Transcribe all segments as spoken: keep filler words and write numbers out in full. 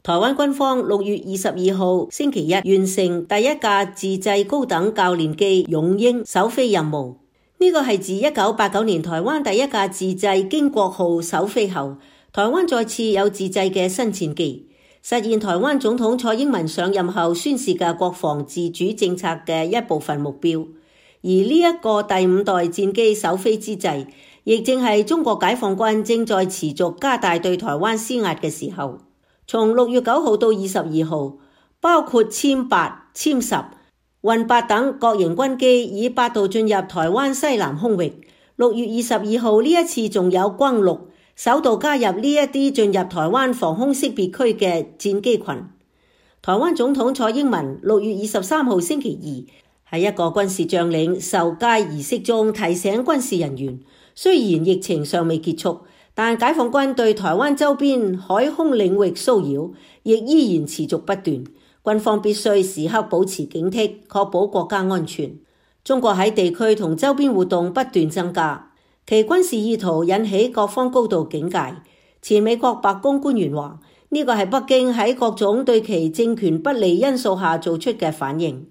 台灣軍方六月二十二號星期一完成第一架自製高等教練機勇鷹首飛任務。呢個係自一九八九年台灣第一架自製經國號首飛後，台灣再次有自製嘅新戰機，實現台灣總統蔡英文上任後宣示嘅國防自主政策嘅一部分目標。而呢一個第五代戰機首飛之際，亦正係中國解放軍正在持續加大對台灣施壓嘅時候。從六月九號到二十二號，包括殲八、殲十、運八等各型軍機以八度進入台灣西南空域。六月二十二號呢一次仲有轟六首度加入呢一啲進入台灣防空識別區嘅戰機群。台灣總統蔡英文六月二十三號星期二喺一個軍事將領授階儀式中提醒軍事人員，雖然疫情尚未結束，但解放軍對台灣周邊海空領域騷擾亦依然持續不斷，軍方必須時刻保持警惕，確保國家安全。中國喺地區同周邊活動不斷增加，其軍事意圖引起各方高度警戒。前美國白宮官員話，呢個係北京喺各種對其政權不利因素下做出嘅反應。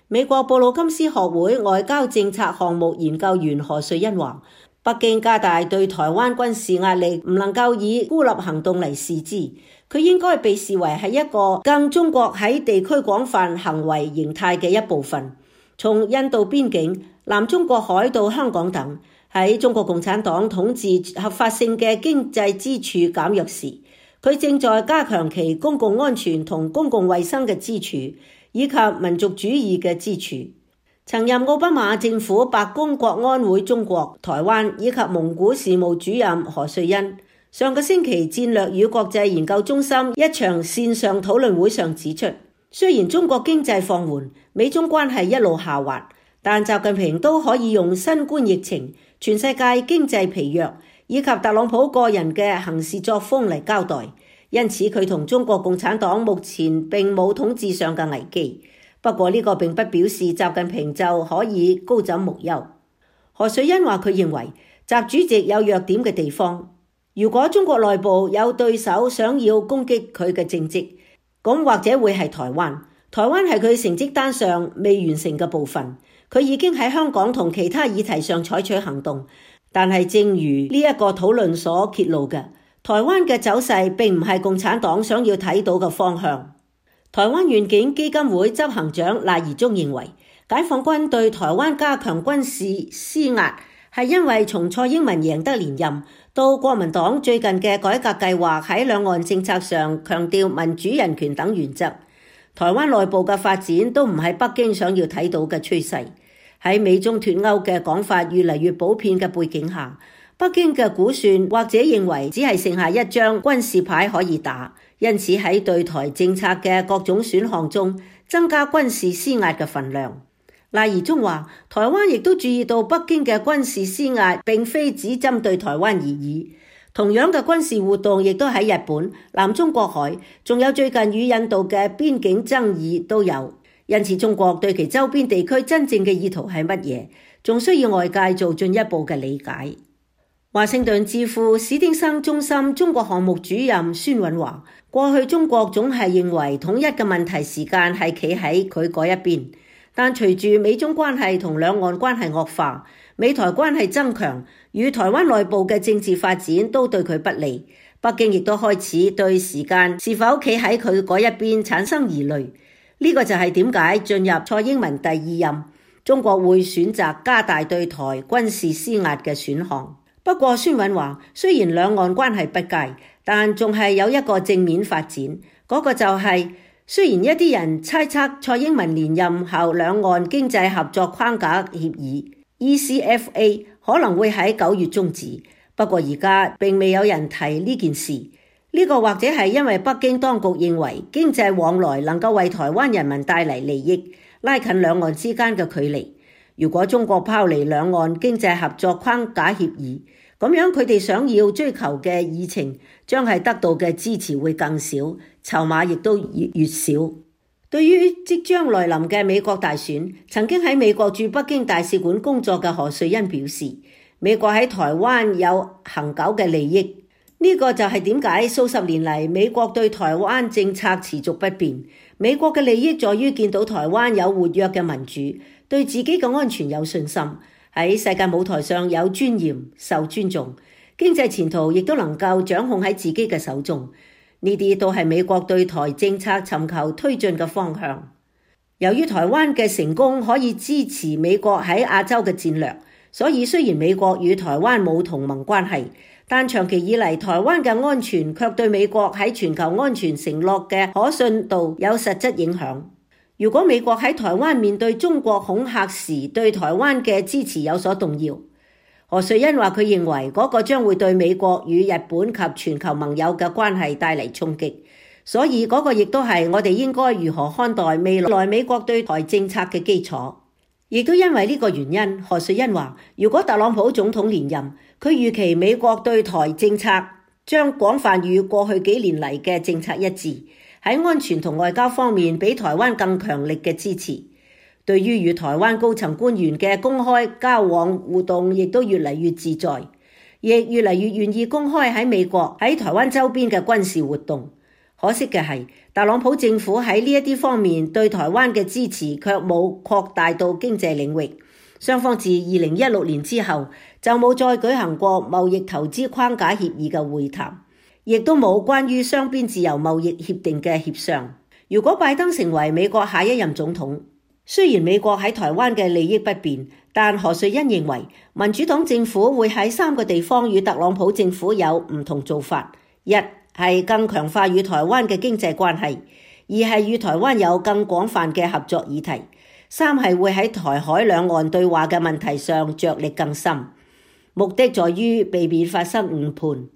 美國布魯金斯學會外交政策項目研究員何瑞恩話，北京加大對台灣軍事壓力唔能夠以孤立行動嚟視之，佢應該被視為係一個更中國喺地區廣泛行為形態嘅一部分。從印度邊境、南中國海到香港等，喺中國共產黨統治合法性嘅經濟支柱減弱時，佢正在加強其公共安全同公共衛生嘅支柱，以及民族主義嘅支柱。曾任奧巴馬政府白宮國安會中國、台灣以及蒙古事務主任何瑞恩，上個星期戰略與國際研究中心一場線上討論會上指出，雖然中國經濟放緩，美中關係一路下滑，但習近平都可以用新冠疫情、全世界經濟疲弱以及特朗普個人嘅行事作風嚟交代，因此佢同中國共產黨目前並冇統治上嘅危機。不過呢個並不表示習近平就可以高枕無憂。何瑞恩話佢認為習主席有弱點嘅地方，如果中國內部有對手想要攻擊佢嘅政績，咁或者會係台灣。台灣係佢成績單上未完成嘅部分，佢已經喺香港同其他議題上採取行動，但係正如呢一個討論所揭露嘅，台灣嘅走勢並唔係共產黨想要睇到嘅方向。台灣願景基金會執行長賴宜中認為，解放軍對台灣加強軍事施壓，係因為從蔡英文贏得連任到國民黨最近嘅改革計劃喺兩岸政策上強調民主人權等原則，台灣內部嘅發展都唔係北京想要睇到嘅趨勢。喺美中脫歐嘅講法越嚟越普遍嘅背景下，北京嘅估算或者認為只係剩下一張軍事牌可以打，因此喺對台政策嘅各種選項中增加軍事施壓嘅份量。賴宜中話，台灣亦都注意到北京嘅軍事施壓並非只針對台灣而已，同樣嘅軍事活動亦都喺日本、南中國海，仲有最近與印度嘅邊境爭議都有。因此中國對其周邊地區真正嘅意圖係乜嘢，仲需要外界做進一步嘅理解。華盛頓智庫史汀生中心中國項目主任孫允話，過去中國總係認為統一嘅問題時間係企喺佢嗰一邊，但隨住美中關係同兩岸關係惡化，美台關係增強，與台灣內部嘅政治發展都對佢不利，北京亦都開始對時間是否企喺佢嗰一邊產生疑慮。呢個就係點解進入蔡英文第二任，中國會選擇加大對台軍事施壓嘅選項。不過孫允話，雖然兩岸關係不佳，但仲係有一個正面發展，嗰個就係雖然一啲人猜測蔡英文連任後兩岸經濟合作框架協議 E C F A 可能會喺九月終止，不過而家並未有人提呢件事。呢個或者係因為北京當局認為經濟往來能夠為台灣人民帶嚟利益，拉近兩岸之間嘅距離。如果中國拋離兩岸經濟合作框架協議，咁樣佢哋想要追求嘅議程將係得到嘅支持會更少，籌碼亦都越越少。對於即將來臨嘅美國大選，曾經喺美國駐北京大使館工作嘅何瑞恩表示，美國喺台灣有恆久嘅利益。呢個就係點解數十年嚟美國對台灣政策持續不變。美國嘅利益在於見到台灣有活躍嘅民主，對自己嘅安全有信心，喺世界舞台上有尊嚴、受尊重，經濟前途亦都能夠掌控喺自己嘅手中。呢啲都係美國對台政策尋求推進嘅方向。由於台灣嘅成功可以支持美國喺亞洲嘅戰略，所以雖然美國與台灣冇同盟關係，但長期以嚟台灣嘅安全卻對美國喺全球安全承諾嘅可信度有實質影響。如果美國喺台灣面對中國恐嚇時對台灣嘅支持有所動搖，何瑞恩話佢認為嗰個將會對美國與日本及全球盟友嘅關係帶嚟衝擊。所以嗰個亦都係我哋應該如何看待未來美國對台政策嘅基礎。亦都因為呢個原因，何瑞恩話，如果特朗普總統連任，佢預期美國對台政策將廣泛與過去幾年嚟嘅政策一致，喺安全同外交方面比台灣更強力嘅支持。對於與台灣高層官員嘅公開交往互動，亦都越嚟越自在，亦越嚟越願意公開喺美國喺台灣周邊嘅軍事活動。可惜嘅係，特朗普政府喺呢一啲方面對台灣嘅支持卻冇擴大到經濟領域。雙方自二零一六年之後就冇再舉行過貿易投資框架協議嘅會談，亦都冇關於雙邊自由貿易協定嘅協商。如果拜登成為美國下一任總統，雖然美國喺台灣嘅利益不變，但何瑞恩認為民主黨政府會喺三個地方與特朗普政府有唔同做法。一係更強化與台灣嘅經濟關係，二係與台灣有更廣泛嘅合作議題，三係會喺台海兩岸對話嘅問題上着力更深，目的在於避免發生誤判。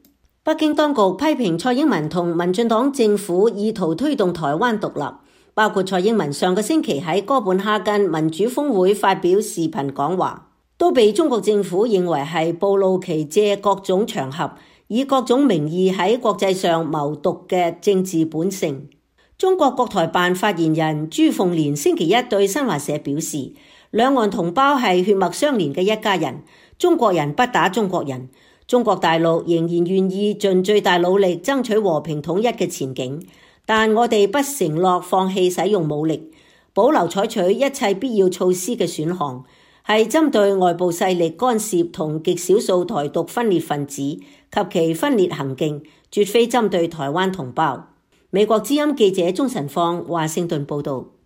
北京當局批評蔡英文同民進黨政府意圖推動台灣獨立，包括蔡英文上個星期喺哥本哈根民主峰會發表視頻講話，都被中國政府認為係暴露其借各種場合以各種名義喺國際上謀獨嘅政治本性。中國國台辦發言人朱鳳蓮星期一對新華社表示，兩岸同胞係血脈相連嘅一家人，中國人不打中國人，中國大陸仍然願意盡最大努力爭取和平統一嘅前景，但我哋不承諾放棄使用武力，保留採取一切必要措施嘅選項，係針對外部勢力干涉同極少數台獨分裂分子及其分裂行徑，絕非針對台灣同胞。美國之音記者鍾晨放華盛頓報道。